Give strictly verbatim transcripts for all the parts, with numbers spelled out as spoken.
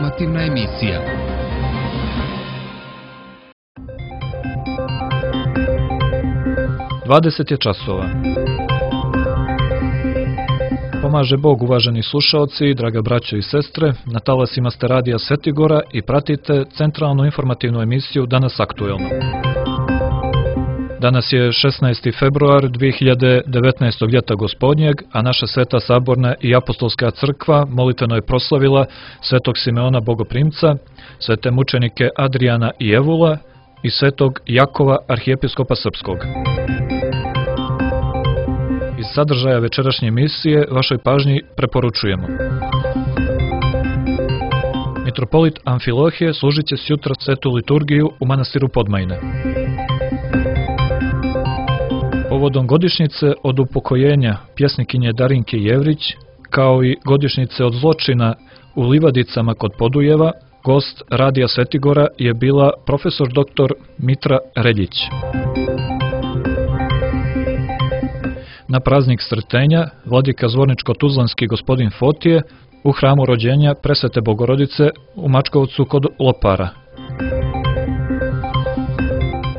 Informativna emisija. dvadeset je časova. Pomaže Bog, uvaženi slušaoci, draga braćo i sestre, na talasima ste radija Svetigora i pratite centralnu informativnu emisiju Danas aktuelno. Danas je šesnaesti februar dvije hiljade devetnaestog ljeta gospodnjeg, a naša Sveta Saborna i Apostolska crkva molitveno je proslavila Svetog Simeona Bogoprimca, svete mučenike Adrijana i Evula i Svetog Jakova arhijepiskopa Srpskog. Iz sadržaja večerašnje emisije vašoj pažnji preporučujemo. Mitropolit Amfilohije služit će sjutra svetu liturgiju u manastiru Podmajine. Povodom godišnjice od upokojenja pjesnikinje Darinke Jevrić, kao i godišnjice od zločina u Livadicama kod Podujeva, gost radija Svetigora je bila profesor doktor Mitra Reljić. Na praznik Sretenja, vladika Zvorničko-Tuzlanski gospodin Fotije u hramu rođenja Presvete Bogorodice u Mačkovcu kod Lopara.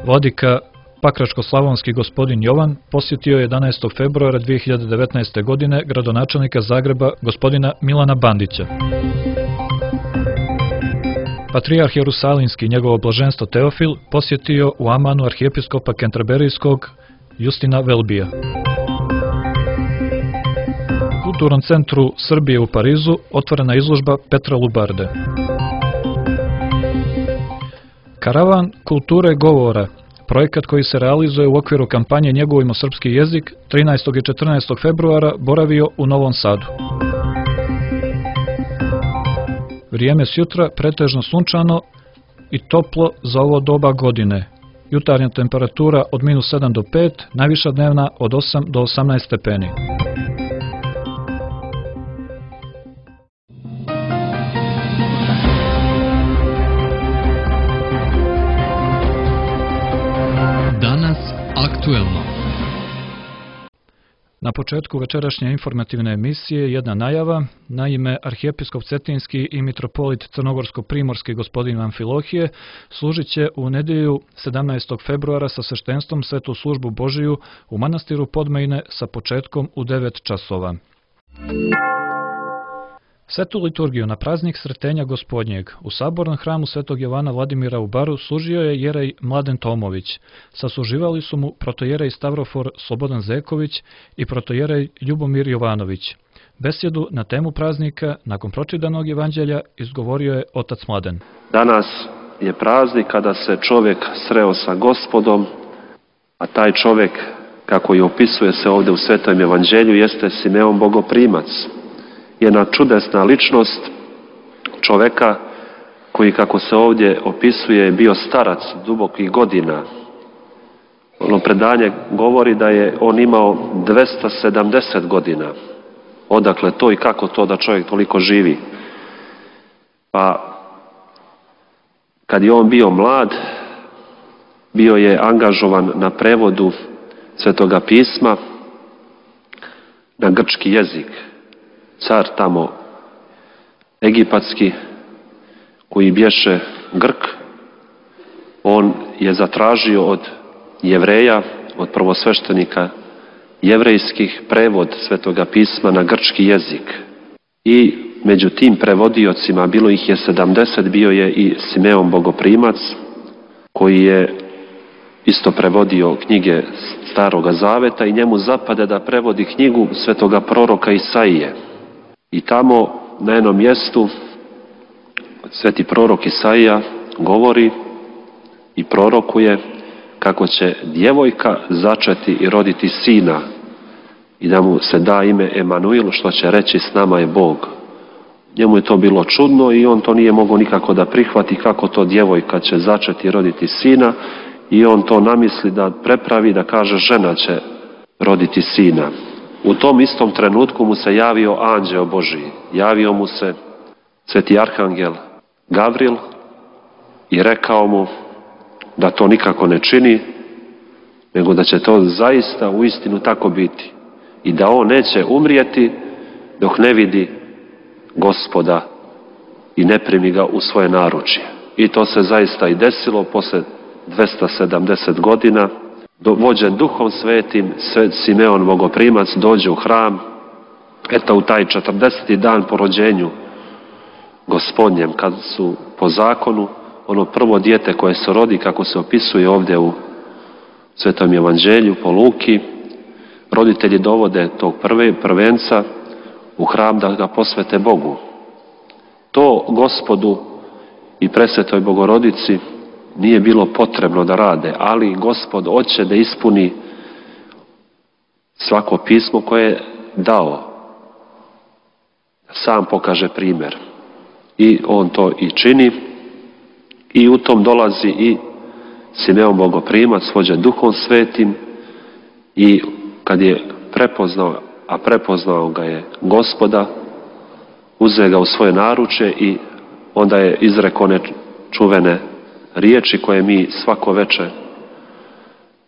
Vladika Pakračko-slavonski gospodin Jovan posjetio je jedanaestog februara dvije hiljade devetnaeste. godine gradonačelnika Zagreba gospodina Milana Bandića. Patrijarh Jerusalimski i njegovo blaženstvo Teofil posjetio u Amanu arhijepiskopa Kenterberijskog Justina Velbija. U Kulturnom centru Srbije u Parizu otvorena izložba Petra Lubarde. Karavan kulture govora, projekat koji se realizuje u okviru kampanje Njegujmo srpski jezik, trinaestog i četrnaestog februara boravio u Novom Sadu. Vrijeme sjutra pretežno sunčano i toplo za ovo doba godine. Jutarnja temperatura od minus sedam do pet, najviša dnevna od osam do osamnaest stepeni. Danas aktuelno. Na početku večerašnje informativne emisije jedna najava. Naime, arhijepiskop Cetinski i mitropolit Crnogorsko-primorski gospodin Amfilohije služit će u nedjelju sedamnaestog februara sa sveštenstvom svetu službu Božiju u manastiru Podmajine sa početkom u devet časova. Svetu liturgiju na praznik Sretenja gospodnjeg u sabornom hramu Svetog Jovana Vladimira u Baru služio je jerej Mladen Tomović. Sasluživali su mu protojerej Stavrofor Slobodan Zeković i protojerej Ljubomir Jovanović. Besjedu na temu praznika nakon pročitanog evanđelja izgovorio je otac Mladen. Danas je praznik kada se čovjek sreo sa Gospodom, a taj čovjek, kako i opisuje se ovdje u Svetom evanđelju, jeste Simeon Bogoprimac. Jedna čudesna ličnost čovjeka koji, kako se ovdje opisuje, je bio starac dubokih godina. Ono predanje govori da je on imao dvesta sedamdeset godina. Odakle to i kako to da čovjek toliko živi? Pa kad je on bio mlad, bio je angažovan na prevodu Svetoga pisma na grčki jezik. Car tamo egipatski, koji bješe Grk, on je zatražio od Jevreja, od prvosveštenika jevrejskih, prevod Svetoga pisma na grčki jezik. I među tim prevodiocima, bilo ih je sedamdeset, bio je i Simeon Bogoprimac, koji je isto prevodio knjige Staroga Zaveta i njemu zapade da prevodi knjigu svetoga proroka Isaije. I tamo na jednom mjestu sveti prorok Isaija govori i prorokuje kako će djevojka začeti i roditi sina i da mu se da ime Emanuil, što će reći s nama je Bog. Njemu je to bilo čudno i on to nije mogao nikako da prihvati, kako to djevojka će začeti i roditi sina, i on to namisli da prepravi, da kaže žena će roditi sina. U tom istom trenutku mu se javio anđeo Božji. Javio mu se sveti arhangel Gavril i rekao mu da to nikako ne čini, nego da će to zaista u istinu tako biti. I da on neće umrijeti dok ne vidi Gospoda i ne primi ga u svoje naručje. I to se zaista i desilo posle dvesta sedamdeset godina. Vođen Duhom Svetim, Simeon Bogoprimac dođe u hram, eto u taj četrdeseti dan po rođenju Gospodnjem, kad su po zakonu ono prvo dijete koje se rodi, kako se opisuje ovdje u Svetom evanđelju po Luki, roditelji dovode tog prve, prvenca u hram da ga posvete Bogu. To Gospodu i Presvetoj Bogorodici nije bilo potrebno da rade, ali Gospod hoće da ispuni svako pismo koje je dao. Sam pokaže primjer. I on to i čini. I u tom dolazi i Simeon Bogoprimac, vođen Duhom Svetim, i kad je prepoznao, a prepoznao ga je Gospoda, uzeo ga u svoje naručje i onda je izrekao one čuvene riječi koje mi svako večer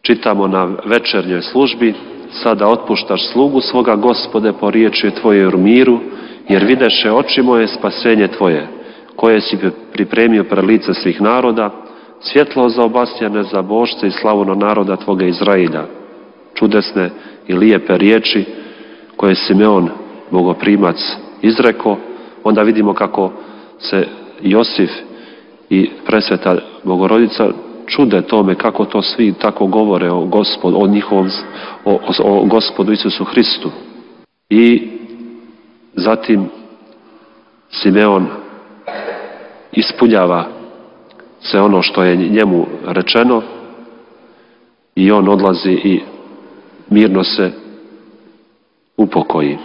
čitamo na večernjoj službi: sada otpuštaš slugu svoga, Gospode, po riječi Tvoje u miru, jer videše oči moje spasenje Tvoje, koje si pripremio pred lice svih naroda, svjetlo za obasjane, za božce i slavu na naroda Tvoga Izrailja. Čudesne i lijepe riječi koje je Simeon Bogoprimac izrekao. Onda vidimo kako se Josif i Presveta Bogorodica čude tome kako to svi tako govore o Gospodu, o njihovom, o, o Gospodu Isusu Hristu. I zatim Simeon ispunjava se ono što je njemu rečeno i on odlazi i mirno se upokoji.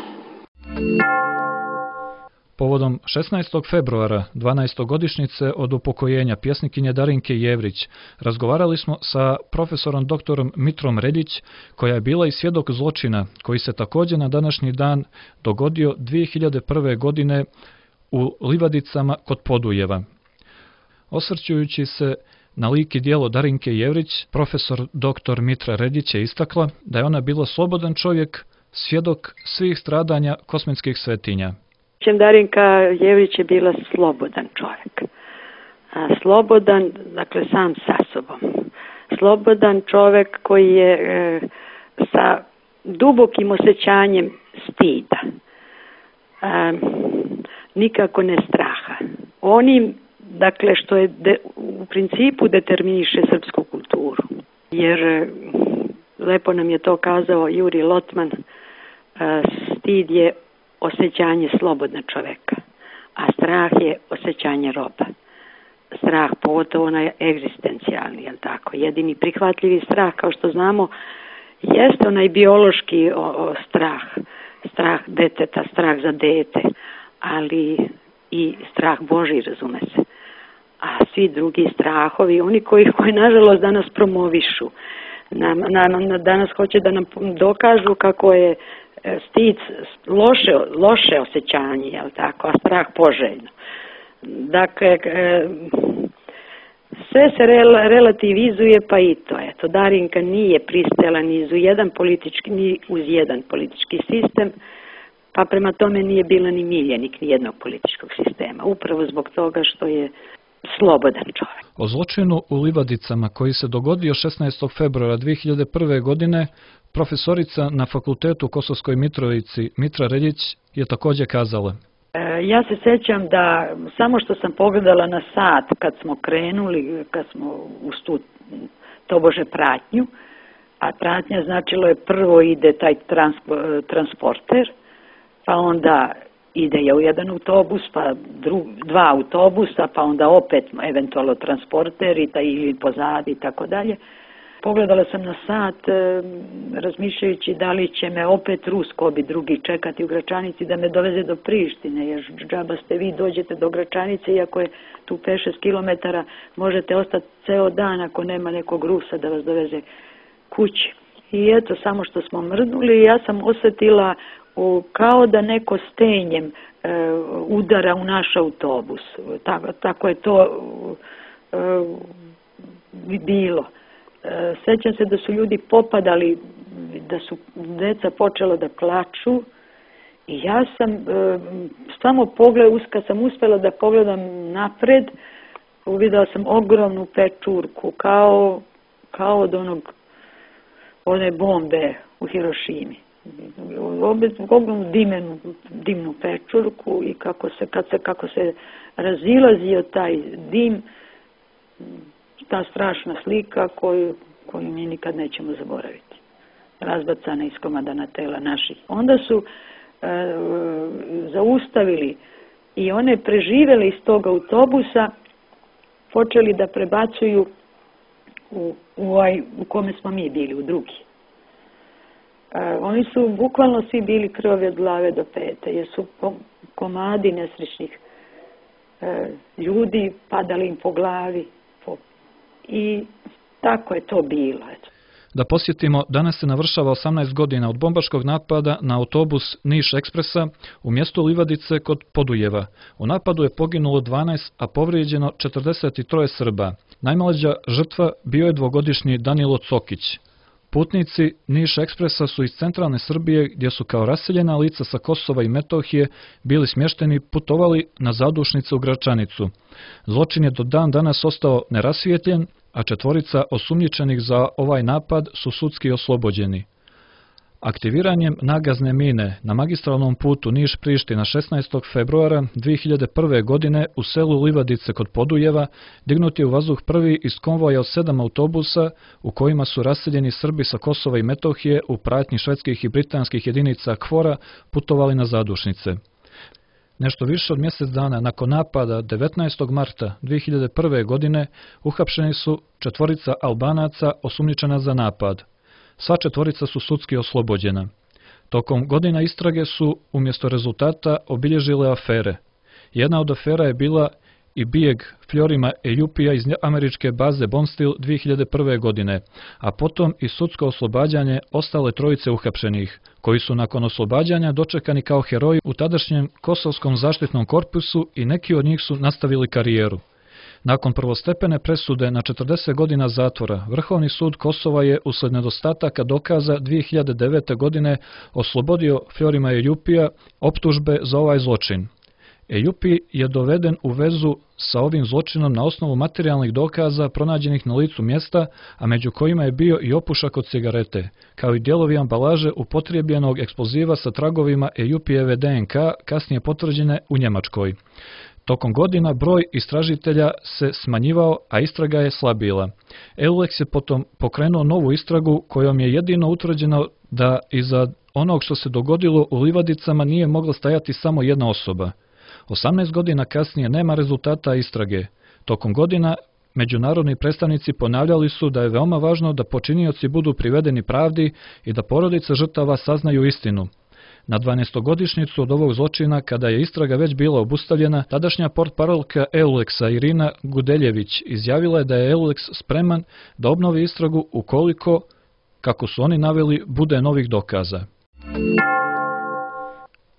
Povodom šesnaestog februara, dvanaestogodišnjice od upokojenja pjesnikinje Darinke Jevrić, razgovarali smo sa profesorom doktorom Mitrom Reljić, koja je bila i svjedok zločina koji se također na današnji dan dogodio dvije hiljade prve. godine u Livadicama kod Podujeva. Osvrćujući se na lik i djelo Darinke Jevrić, profesor doktor Mitra Reljić je istakla da je ona bila slobodan čovjek, svjedok svih stradanja kosmetskih svetinja. Darinka Jevrić je bila slobodan čovjek. A, slobodan, dakle, sam sa sobom. Slobodan čovjek koji je e, sa dubokim osjećanjem stida. A, nikako ne straha. Onim, dakle, što je de, u principu determiniše srpsku kulturu. Jer e, lepo nam je to kazao Juri Lotman, a, stid je osjećanje slobodna čovjeka, a strah je osjećanje roba. Strah, pogotovo onaj egzistencijalni, jel tako? Jedini prihvatljivi strah, kao što znamo, jeste onaj biološki o, o, strah, strah deteta, strah za dete, ali i strah Božji, razume se. A svi drugi strahovi, oni koji, koji nažalost danas promovišu, nam, nam, danas hoće da nam dokažu kako je stid loše, loše osjećanje, jel tako, a strah poželjno. Dakle, sve se rel, relativizuje, pa i to. Eto, Darinka nije pristala ni uz jedan politički, ni uz jedan politički sistem, pa prema tome nije bila ni miljenik ni jednog političkog sistema. Upravo zbog toga što je slobodan čovjek. O zločinu u Livadicama koji se dogodio šesnaestog februara dvije hiljade prve. godine profesorica na fakultetu u Kosovskoj Mitrovici Mitra Reljić je također kazala: e, ja se sjećam da samo što sam pogledala na sat kad smo krenuli, kad smo u tu tobože pratnju, a pratnja značilo je prvo ide taj transpo, transporter, pa onda ide je u jedan autobus, pa dru, dva autobusa, pa onda opet eventualno transporter i taj, ili pozadi i tako dalje. Pogledala sam na sat, e, razmišljajući da li će me opet Rusko bi drugi čekati u Gračanici da me doveze do Prištine, jer džaba ste vi dođete do Gračanice, iako je tu pet šest kilometara, možete ostati ceo dan ako nema nekog Rusa da vas doveze kući. I eto, samo što smo mrdnuli, ja sam osjetila u, kao da neko stenjem e, udara u naš autobus. Tako, tako je to e, bilo. Sjećam se da su ljudi popadali, da su deca počela da plaču I ja sam e, samo pogled, kad sam uspjela da pogledam napred, uvidela sam ogromnu pečurku, kao, kao od onog, one bombe u Hirošimi. Ogromnu dimenu, dimnu pečurku i kako se, kad se, kako se razilazio taj dim, ta strašna slika koju, koju mi nikad nećemo zaboraviti. Razbacana iskomadana tela naših. Onda su e, zaustavili i one preživele iz tog autobusa, počeli da prebacuju u, u, ovaj, u kome smo mi bili, u drugi. E, oni su bukvalno svi bili krvavi od glave do pete, jer su komadi nesrećnih e, ljudi padali im po glavi. Po, I tako je to bilo. Da posjetimo, danas se navršava osamnaest godina od bombaškog napada na autobus Niš Ekspresa u mjestu Livadice kod Podujeva. U napadu je poginulo dvanaest, a povrijeđeno četrdeset tri Srba. Najmlađa žrtva bio je dvogodišnji Danilo Cokić. Putnici Niš Ekspresa su iz centralne Srbije, gdje su kao raseljena lica sa Kosova i Metohije bili smješteni, putovali na zadušnice u Gračanicu. Zločin je do dan danas ostao nerasvijetljen, a četvorica osumnjičenih za ovaj napad su sudski oslobođeni. Aktiviranjem nagazne mine na magistralnom putu Niš-Priština šesnaestog februara dvije hiljade prve. godine u selu Livadice kod Podujeva dignut je u vazduh prvi iz konvoja od sedam autobusa u kojima su raseljeni Srbi sa Kosova i Metohije u pratnji švedskih i britanskih jedinica KFOR-a putovali na zadušnice. Nešto više od mjesec dana nakon napada devetnaestog marta dvije hiljade prve. godine uhapšeni su četvorica Albanaca osumnjičena za napad. Sva četvorica su sudski oslobođena. Tokom godina istrage su umjesto rezultata obilježile afere. Jedna od afera je bila i bijeg Fjorima Ejupija iz američke baze Bonstil dvije hiljade prve. godine, a potom i sudsko oslobađanje ostale trojice uhapšenih, koji su nakon oslobađanja dočekani kao heroji u tadašnjem Kosovskom zaštitnom korpusu i neki od njih su nastavili karijeru. Nakon prvostepene presude na četrdeset godina zatvora, Vrhovni sud Kosova je usled nedostataka dokaza dvije hiljade devete. godine oslobodio Fjorima Ejupija optužbe za ovaj zločin. Ejupi je doveden u vezu sa ovim zločinom na osnovu materijalnih dokaza pronađenih na licu mjesta, a među kojima je bio i opušak od cigarete, kao i dijelovi ambalaže upotrebljenog eksploziva sa tragovima Ejupijeve D N K, kasnije potvrđene u Njemačkoj. Tokom godina broj istražitelja se smanjivao, a istraga je slabila. Eulex je potom pokrenuo novu istragu kojom je jedino utvrđeno da iza onog što se dogodilo u Livadicama nije mogla stajati samo jedna osoba. osamnaest godina kasnije nema rezultata istrage. Tokom godina međunarodni predstavnici ponavljali su da je veoma važno da počinioci budu privedeni pravdi i da porodice žrtava saznaju istinu. Na dvanaestogodišnjicu od ovog zločina, kada je istraga već bila obustavljena, tadašnja portparolka Eulexa Irina Gudeljević izjavila je da je Eulex spreman da obnovi istragu ukoliko, kako su oni naveli, bude novih dokaza.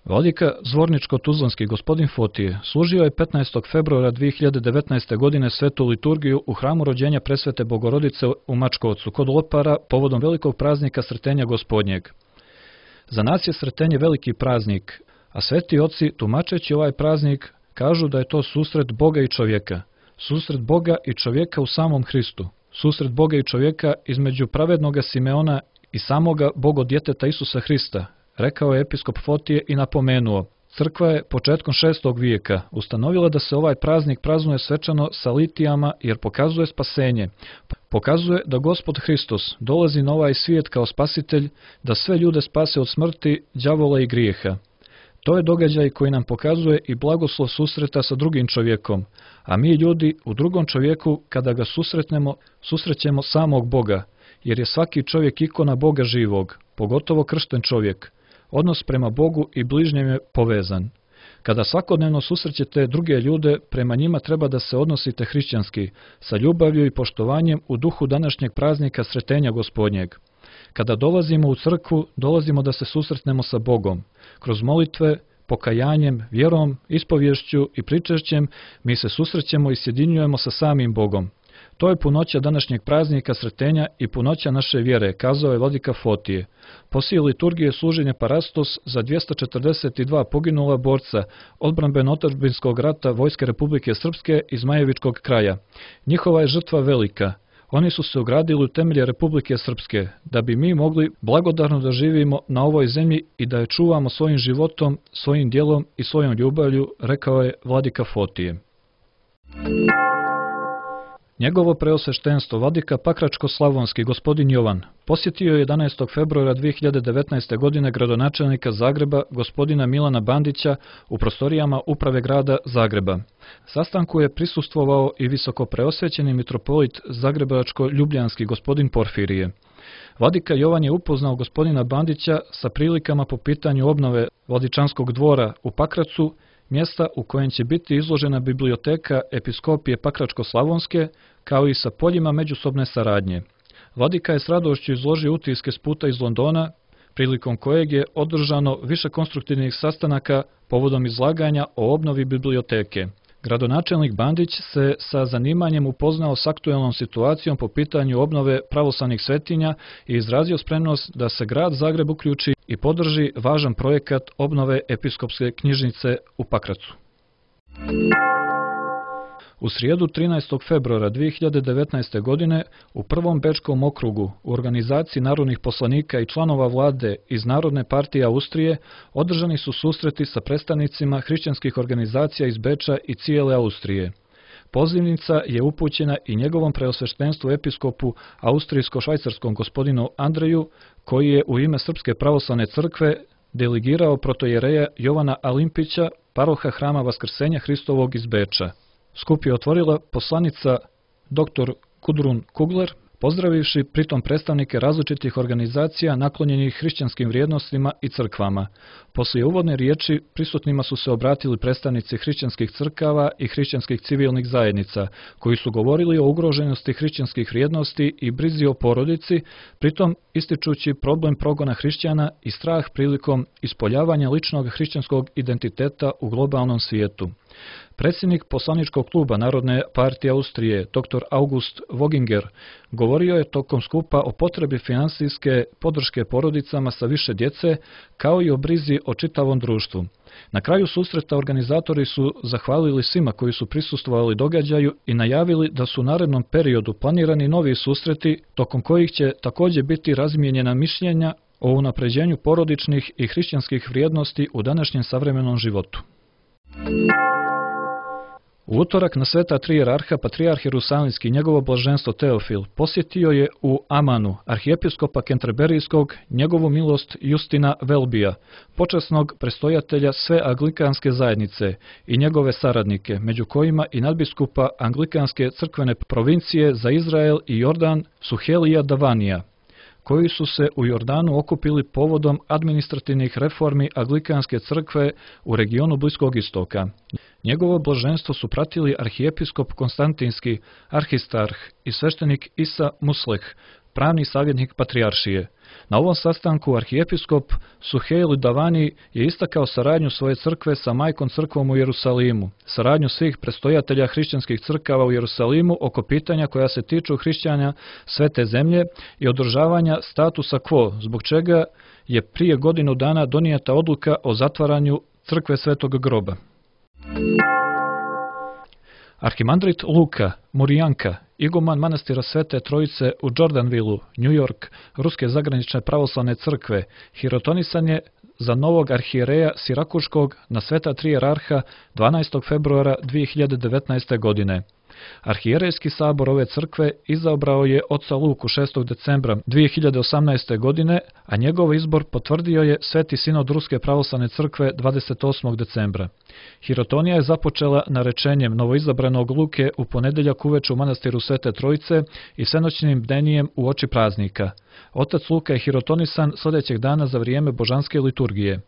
Vladika Zvorničko-Tuzlanski gospodin Fotije služio je petnaestog februara dvije hiljade devetnaeste. godine svetu liturgiju u hramu rođenja presvete Bogorodice u Mačkovcu kod Lopara povodom velikog praznika Sretenja Gospodnjeg. Za nas je Sretenje veliki praznik, a sveti oci, tumačeći ovaj praznik, kažu da je to susret Boga i čovjeka, susret Boga i čovjeka u samom Hristu, susret Boga i čovjeka između pravednoga Simeona i samoga Bogodjeteta Isusa Hrista, rekao je episkop Fotije i napomenuo. Crkva je početkom šestog vijeka ustanovila da se ovaj praznik praznuje svečano sa litijama jer pokazuje spasenje. Pokazuje da Gospod Hristos dolazi na ovaj svijet kao spasitelj, da sve ljude spase od smrti, đavola i grijeha. To je događaj koji nam pokazuje i blagoslov susreta sa drugim čovjekom, a mi ljudi u drugom čovjeku kada ga susretnemo, susrećemo samog Boga, jer je svaki čovjek ikona Boga živog, pogotovo kršten čovjek. Odnos prema Bogu i bližnjem je povezan. Kada svakodnevno susrećete druge ljude, prema njima treba da se odnosite hrišćanski, sa ljubavlju i poštovanjem u duhu današnjeg praznika Sretenja Gospodnjeg. Kada dolazimo u crkvu, dolazimo da se susretnemo sa Bogom. Kroz molitve, pokajanjem, vjerom, ispovješću i pričešćem mi se susrećemo i sjedinjujemo sa samim Bogom. To je punoća današnjeg praznika sretenja i punoća naše vjere, kazao je vladika Fotije. Poslije liturgije služenja Parastos za dvjesto četrdeset dva poginula borca odbrambeno-otadžbinskog rata Vojske Republike Srpske iz Zmajevičkog kraja. Njihova je žrtva velika. Oni su se ugradili u temelje Republike Srpske, da bi mi mogli blagodarno da živimo na ovoj zemlji i da je čuvamo svojim životom, svojim djelom i svojom ljubavlju, rekao je vladika Fotije. Njegovo preosveštenstvo, vladika Pakračko-slavonski gospodin Jovan, posjetio je jedanaestog februara dvije hiljade devetnaeste. godine gradonačelnika Zagreba, gospodina Milana Bandića, u prostorijama uprave grada Zagreba. Sastanku je prisustvovao i visokopreosvećeni mitropolit zagrebačko-ljubljanski gospodin Porfirije. Vladika Jovan je upoznao gospodina Bandića sa prilikama po pitanju obnove Vladičanskog dvora u Pakracu, mjesta u kojem će biti izložena biblioteka Episkopije Pakračko-slavonske, kao i sa poljima međusobne saradnje. Vladika je s radošću izložio utiske s puta iz Londona, prilikom kojeg je održano više konstruktivnih sastanaka povodom izlaganja o obnovi biblioteke. Gradonačelnik Bandić se sa zanimanjem upoznao s aktuelnom situacijom po pitanju obnove pravoslavnih svetinja i izrazio spremnost da se grad Zagreb uključi i podrži važan projekat obnove episkopske knjižnice u Pakracu. U srijedu trinaestog februara dvije hiljade devetnaeste. godine u prvom Bečkom okrugu u organizaciji narodnih poslanika i članova vlade iz Narodne partije Austrije održani su susreti sa predstavnicima hrišćanskih organizacija iz Beča i cijele Austrije. Pozivnica je upućena i njegovom preosveštenstvu episkopu austrijsko-švajcarskom gospodinu Andreju, koji je u ime Srpske pravoslavne crkve delegirao protojereja Jovana Alimpića, paroha Hrama Vaskrsenja Hristovog iz Beča. Skup je otvorila poslanica dr. Gudrun Kugler, pozdravivši pritom predstavnike različitih organizacija naklonjenih hrišćanskim vrijednostima i crkvama. Poslije uvodne riječi prisutnima su se obratili predstavnici hrišćanskih crkava i hrišćanskih civilnih zajednica, koji su govorili o ugroženosti hrišćanskih vrijednosti i brizi o porodici, pritom ističući problem progona hrišćana i strah prilikom ispoljavanja ličnog hrišćanskog identiteta u globalnom svijetu. Predsjednik poslaničkog kluba Narodne partije Austrije, dr. August Voginger, govorio je tokom skupa o potrebi finansijske podrške porodicama sa više djece, kao i o brizi o čitavom društvu. Na kraju susreta organizatori su zahvalili svima koji su prisustvovali događaju i najavili da su u narednom periodu planirani novi susreti, tokom kojih će također biti razmijenjena mišljenja o unapređenju porodičnih i hrišćanskih vrijednosti u današnjem savremenom životu. U utorak na sveta tri jerarha patrijarh Jerusalimski i njegovo blaženstvo Teofil posjetio je u Amanu arhijepiskopa Kenterberijskog njegovu milost Justina Velbija, počasnog prestojatelja sve anglikanske zajednice i njegove saradnike, među kojima i nadbiskupa anglikanske crkvene provincije za Izrael i Jordan Suhelija Davanija, koji su se u Jordanu okupili povodom administrativnih reformi anglikanske crkve u regionu Bliskog istoka. Njegovo blaženstvo su pratili arhijepiskop Konstantinski, arhistarh i sveštenik Isa Musleh, pravni savjetnik patrijaršije. Na ovom sastanku arhijepiskop Suheil Davani je istakao saradnju svoje crkve sa majkom crkvom u Jerusalimu, saradnju svih prestojatelja hrišćanskih crkava u Jerusalimu oko pitanja koja se tiču hrišćanja svete zemlje i održavanja statusa quo, zbog čega je prije godinu dana donijeta odluka o zatvaranju crkve Svetog groba. Arhimandrit Luka Murijanka, iguman manastira Svete Trojice u Jordanvilu, New York, Ruske zagranične pravoslavne crkve, hirotonisan je za novog arhijereja Sirakuškog na sveta tri jerarha dvanaestog februara dvije hiljade devetnaeste. godine. Arhijerejski sabor ove crkve izabrao je oca Luku šestog decembra dvije hiljade osamnaeste. godine, a njegov izbor potvrdio je Sveti sinod Ruske pravoslavne crkve dvadeset osmog decembra. Hirotonija je započela narečenjem novoizabranog Luke u ponedjeljak uveče u manastiru Svete Trojice i svenoćnim bdenijem u oči praznika. Otac Luka je hirotonisan sljedećeg dana za vrijeme božanske liturgije.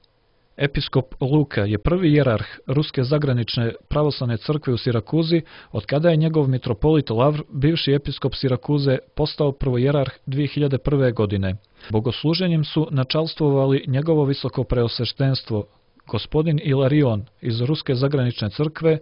Episkop Luka je prvi jerarh Ruske zagranične pravoslavne crkve u Sirakuzi, od kada je njegov mitropolit Lavr, bivši episkop Sirakuze, postao prvojerarh dvije hiljade prve. godine. Bogosluženjem su načalstvovali njegovo visoko preosveštenstvo, gospodin Ilarion iz Ruske zagranične crkve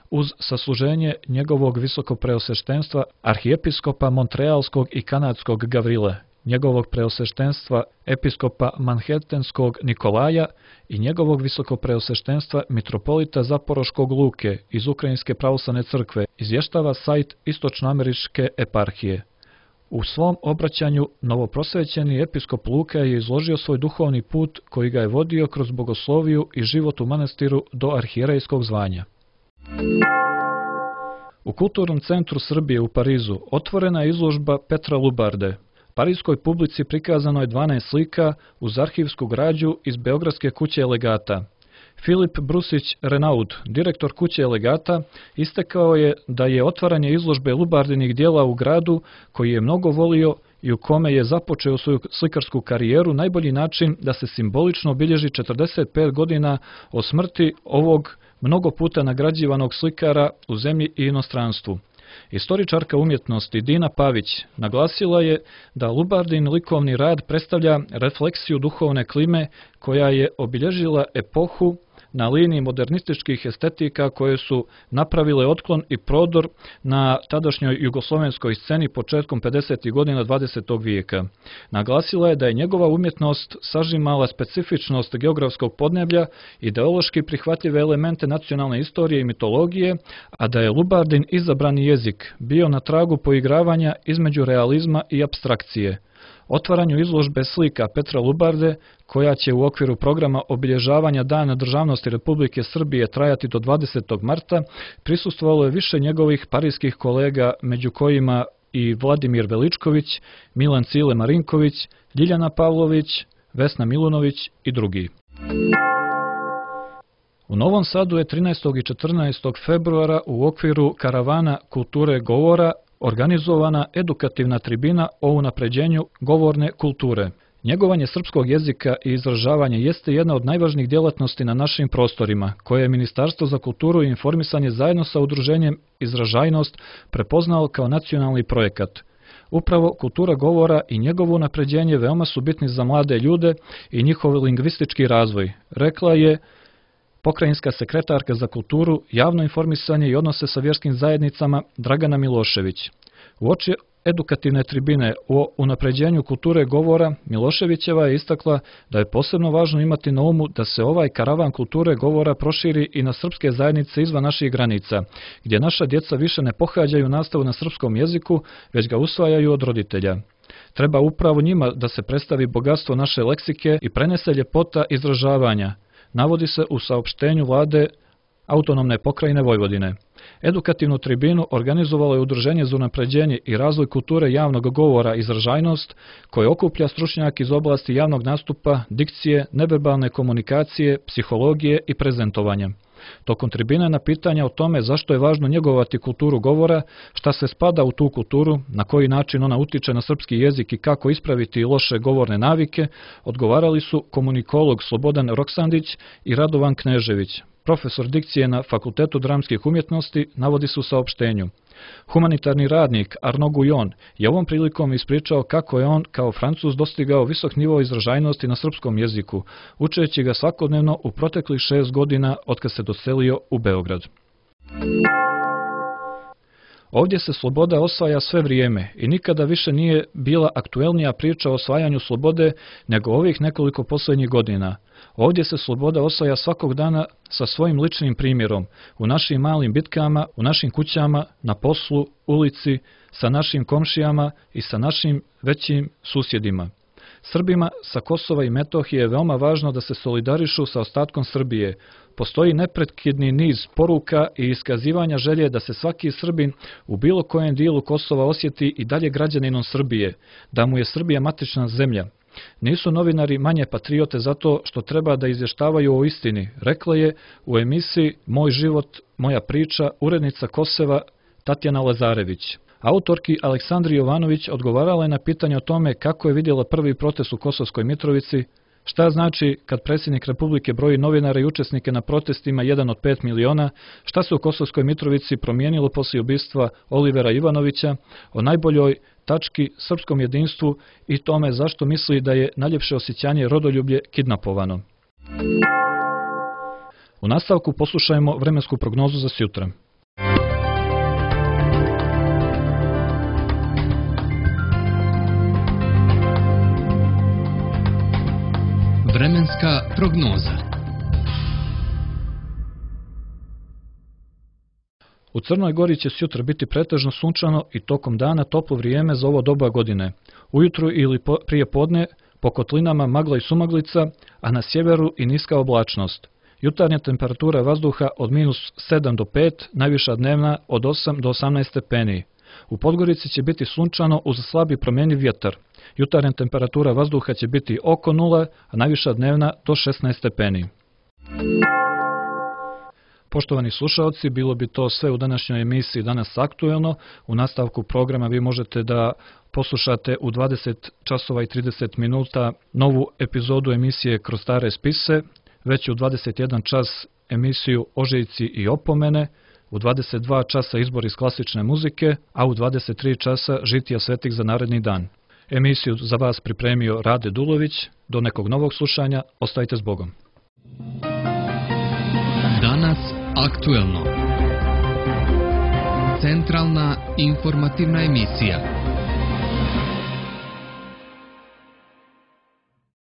uz sasluženje njegovog visokopreosveštenstva arhijepiskopa Montrealskog i kanadskog Gavrile, njegovog preosveštenstva episkopa Manhattanskog Nikolaja i njegovog visokopreosveštenstva mitropolita Zaporoškog Luke iz Ukrajinske pravoslavne crkve, izvještava sajt Istočnoameričke eparhije. U svom obraćanju novoprosvećeni episkop Luka je izložio svoj duhovni put koji ga je vodio kroz bogosloviju i život u manastiru do arhijerejskog zvanja. U Kulturnom centru Srbije u Parizu otvorena je izložba Petra Lubarde. Parijskoj publici prikazano je dvanaest slika uz arhivsku građu iz Beogradske kuće legata. Filip Brusić Renaud, direktor kuće legata, istakao je da je otvaranje izložbe Lubardinih dijela u gradu koji je mnogo volio i u kome je započeo svoju slikarsku karijeru najbolji način da se simbolično obilježi četrdeset pet godina od smrti ovog mnogo puta nagrađivanog slikara u zemlji i inostranstvu. Istoričarka umjetnosti Dina Pavić naglasila je da Lubardin likovni rad predstavlja refleksiju duhovne klime koja je obilježila epohu na liniji modernističkih estetika koje su napravile otklon i prodor na tadašnjoj jugoslovenskoj sceni početkom pedesetih godina dvadesetog vijeka. Naglasila je da je njegova umjetnost sažimala specifičnost geografskog podneblja, ideološki prihvatljive elemente nacionalne istorije i mitologije, a da je Lubardin izabrani jezik bio na tragu poigravanja između realizma i apstrakcije. Otvaranju izložbe slika Petra Lubarde, koja će u okviru programa obilježavanja Dana državnosti Republike Srbije trajati do dvadesetog marta, prisustvovalo je više njegovih parijskih kolega, među kojima i Vladimir Veličković, Milan Cile Marinković, Ljiljana Pavlović, Vesna Milunović i drugi. U Novom Sadu je trinaestog i četrnaestog februara u okviru karavana kulture govora organizovana edukativna tribina o unapređenju govorne kulture. Njegovanje srpskog jezika i izražavanje jeste jedna od najvažnijih djelatnosti na našim prostorima, koje je Ministarstvo za kulturu i informisanje zajedno sa udruženjem Izražajnost prepoznalo kao nacionalni projekat. Upravo kultura govora i njegovo unapređenje veoma su bitni za mlade ljude i njihov lingvistički razvoj, rekla je pokrajinska sekretarka za kulturu, javno informisanje i odnose sa vjerskim zajednicama Dragana Milošević. Uoči edukativne tribine o unapređenju kulture govora, Miloševićeva je istakla da je posebno važno imati na umu da se ovaj karavan kulture govora proširi i na srpske zajednice izvan naših granica, gdje naša djeca više ne pohađaju nastavu na srpskom jeziku, već ga usvajaju od roditelja. Treba upravo njima da se predstavi bogatstvo naše leksike i prenese ljepota izražavanja, navodi se u saopštenju vlade Autonomne pokrajine Vojvodine. Edukativnu tribinu organizovalo je Udruženje za unapređenje i razvoj kulture javnog govora Izražajnost, koje okuplja stručnjake iz oblasti javnog nastupa, dikcije, neverbalne komunikacije, psihologije i prezentovanja. Tokom tribine na pitanja o tome zašto je važno njegovati kulturu govora, šta se spada u tu kulturu, na koji način ona utiče na srpski jezik i kako ispraviti loše govorne navike, odgovarali su komunikolog Slobodan Roksandić i Radovan Knežević, profesor dikcije na Fakultetu dramskih umjetnosti, navodi se u saopštenju. Humanitarni radnik Arnaud Guyon je ovom prilikom ispričao kako je on kao Francuz dostigao visok nivo izražajnosti na srpskom jeziku, učeći ga svakodnevno u proteklih šest godina otkad se doselio u Beograd. Ovdje se sloboda osvaja sve vrijeme i nikada više nije bila aktuelnija priča o osvajanju slobode nego ovih nekoliko posljednjih godina. Ovdje se sloboda osvaja svakog dana sa svojim ličnim primjerom, u našim malim bitkama, u našim kućama, na poslu, ulici, sa našim komšijama i sa našim većim susjedima. Srbima sa Kosova i Metohije je veoma važno da se solidarišu sa ostatkom Srbije. Postoji neprekidni niz poruka i iskazivanja želje da se svaki Srbin u bilo kojem dijelu Kosova osjeti i dalje građaninom Srbije, da mu je Srbija matična zemlja. Nisu novinari manje patriote zato što treba da izvještavaju o istini, rekla je u emisiji Moj život, moja priča urednica Kosova Tatjana Lazarević. Autorki Aleksandri Jovanović odgovarala je na pitanje o tome kako je vidjela prvi protest u Kosovskoj Mitrovici, šta znači kad predsjednik Republike broji novinara i učesnike na protestima jedan od pet miliona, šta se u Kosovskoj Mitrovici promijenilo poslije ubistva Olivera Ivanovića, o najboljoj tački srpskom jedinstvu i tome zašto misli da je najljepše osjećanje rodoljublje kidnapovano. U nastavku poslušajmo vremensku prognozu za sjutra. Vremenska prognoza. U Crnoj Gori će sjutra biti pretežno sunčano i tokom dana toplo vrijeme za ovo doba godine. Ujutru ili po, prije podne po kotlinama magla i sumaglica, a na sjeveru i niska oblačnost. Jutarnja temperatura vazduha od minus sedam do pet, najviša dnevna od osam do osamnaest stepeni. U Podgorici će biti sunčano uz slabi promjenjiv vjetar. Jutarnja temperatura vazduha će biti oko nula, a najviša dnevna do šesnaest stepeni. Poštovani slušalci, bilo bi to sve u današnjoj emisiji Danas aktuelno. U nastavku programa vi možete da poslušate u dvadeset časova i trideset minuta novu epizodu emisije Kroz stare spise, već u dvadeset jedan čas emisiju Ožiljci i opomene, u dvadeset dva časa izbor iz klasične muzike, a u dvadeset tri časa žitija svetih za naredni dan. Emisiju za vas pripremio Rade Dulović. Do nekog novog slušanja, ostajte s Bogom. Danas aktuelno. Centralna informativna emisija.